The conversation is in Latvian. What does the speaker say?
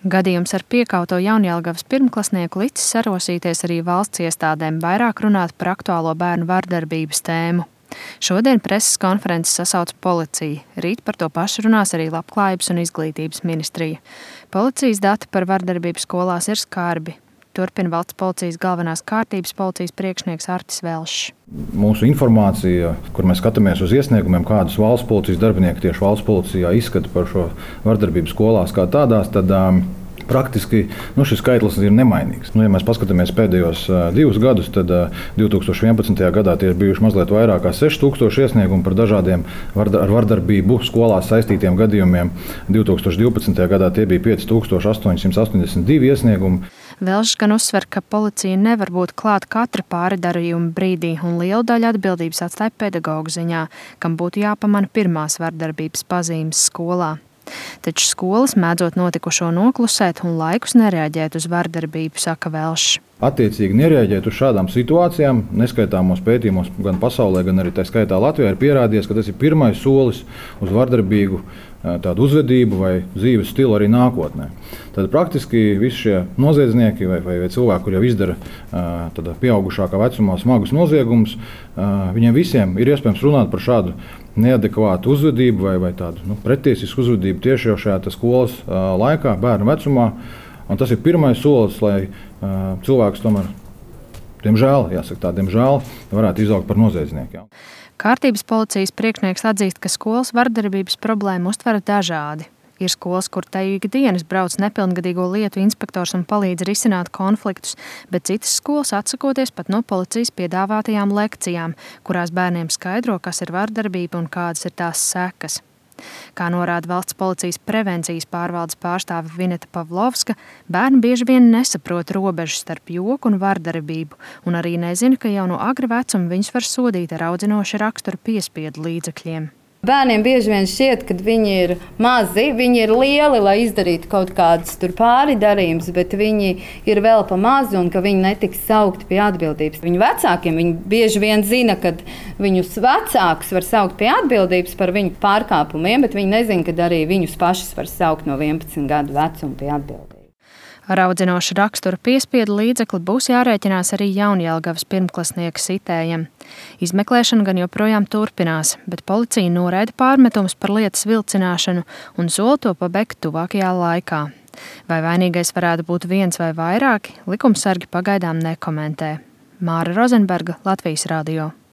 Gadījums ar piekauto Jaunjelgavas pirmklasnieku licis sarosīties arī valsts iestādēm vairāk runāt par aktuālo bērnu vardarbības tēmu. Šodien preses konferences sasauc policija. Rīt par to pašu runās arī Labklājības un izglītības ministrija. Policijas dati par vardarbību skolās ir skarbi. Turpina valsts policijas galvenās kārtības policijas priekšnieks Artis Velšs. Mūsu informācija, kur mēs skatāmies uz iesniegumiem, kādus valsts policijas darbinieki tieši valsts policijā izskata par šo vardarbību skolās kā tādās, tad praktiski šis skaitlis ir nemainīgs. Ja mēs paskatāmies pēdējos 2 gadus, tad 2011. gadā tie ir bijuši mazliet vairāk kā 6000 iesniegumu par dažādiem ar vardarbību skolās saistītiem gadījumiem. 2012. gadā tie bija 5882 iesniegumi. Velšs gan uzsver, ka policija nevar būt klāt katra pārdarījuma brīdī un lielu daļu atbildības atstāja pedagogu ziņā, kam būtu jāpamana pirmās vardarbības pazīmes skolā. Taču skolas mēdzot notikušo noklusēt un laikus nereaģēt uz vardarbību, saka Velšs. Attiecīgi nereaģēt uz šādām situācijām, neskaitāmos pētījumos gan pasaulē, gan arī tā skaitā Latvijā ir pierādījies, ka tas ir pirmais solis uz vardarbīgu tādu uzvedību vai dzīves stilu arī nākotnē. Tad praktiski visi šie noziedznieki vai cilvēki, kur jau izdara pieaugušākā vecumā smagus noziegumus, viņiem visiem ir iespējams runāt par šādu neadekvātu uzvedību vai tādu pretiesisku uzvedību tieši jau šajā skolas laikā, bērnu vecumā. Un tas ir pirmais solis, lai cilvēks tomēr, diemžēl, varētu izaugt par noziedznieku. Kārtības policijas priekšnieks atzīst, ka skolas vardarbības problēmu uztver dažādi. Ir skolas, kur te ikdienas brauc nepilngadīgo lietu inspektors un palīdz risināt konfliktus, bet citas skolas atsakoties pat no policijas piedāvātajām lekcijām, kurās bērniem skaidro, kas ir vardarbība un kādas ir tās sekas. Kā norāda valsts policijas prevencijas pārvaldes pārstāve Vineta Pavlovska, bērni bieži vien nesaprot robežu starp joku un vardarbību un arī nezina, ka jau no agra vecuma viņus var sodīt ar audzinoša rakstura piespiedu līdzekļiem. Bērniem bieži vien šķiet, ka viņi ir mazi, viņi ir lieli, lai izdarītu kaut kādus pārdarījumus, bet viņi ir vēl pa mazi un ka viņi netiks saukti pie atbildības. Viņu vecākiem viņi bieži vien zina, ka viņus vecākus var saukt pie atbildības par viņu pārkāpumiem, bet viņi nezina, ka arī viņus pašus var saukt no 11 gadu vecuma pie atbildības. Ar audzinoša rakstura piespiedu līdzekli būs jārēķinās arī Jaunjelgavas pirmklasnieka sitējam. Izmeklēšana gan joprojām turpinās, bet policija noraida pārmetumus par lietas vilcināšanu un sola to pabeigt tuvākajā laikā. Vai vainīgais varētu būt viens vai vairāki, likumsargi pagaidām nekomentē. Māra Rozenberga, Latvijas radio.